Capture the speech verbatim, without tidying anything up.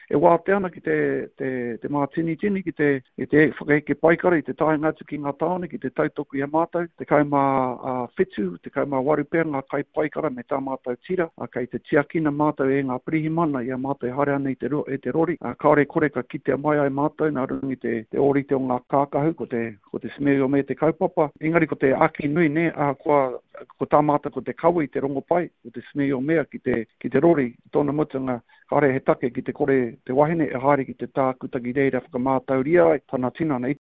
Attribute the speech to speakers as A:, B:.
A: E wātea ana ki te, te, te mātinitini, ki te, ki te whakaeke paikara i te taenga atu ki ngā tāone, ki te tautoko i a mātou, tekau mā whitu, tekau mā waru pea ngā kaipaikara me tā mātou tira, kei te tiakina mātou e ngā pirihimana i a mātou e haere ana i te, i te rori, kāore kore ka kitea mai ai mātou nā runga i te, te ōrite o ngā kākahu, ko te, ko te Smear Your Mare te kaupapa. Engari ko te āki nui, nē, ahakoa ko tā mātou ko te kawe i te rongopai, ko te Smear Your Mare ki te, ki te rori, i tōna mutunga, kāore he take ki te kore te wahine e haere ki te tākuta ki reira whakamātauria ai tana tinana.